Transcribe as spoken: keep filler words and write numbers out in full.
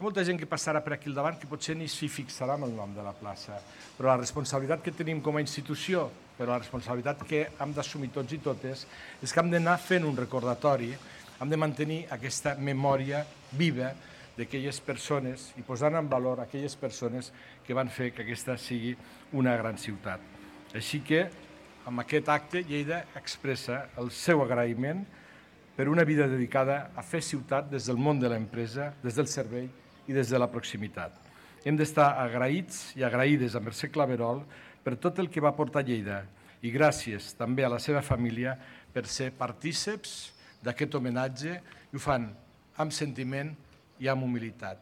molta gent que passarà per aquí al davant que potser ni s'hi fixarà amb el nom de la plaça, però la responsabilitat que tenim com a institució, però la responsabilitat que hem d'assumir tots i totes, és que hem d'anar fent un recordatori, hem de mantenir aquesta memòria viva d'aquelles persones i posant en valor aquelles persones que van fer que aquesta sigui una gran ciutat. Així que, amb aquest acte, Lleida expressa el seu agraïment per una vida dedicada a fer ciutat des del món de l'empresa, des del servei i des de la proximitat. Hem d'estar agraïts i agraïdes a Mercè Claverol per tot el que va portar a Lleida i gràcies també a la seva família per ser partíceps d'aquest homenatge i ho fan amb sentiment i amb humilitat.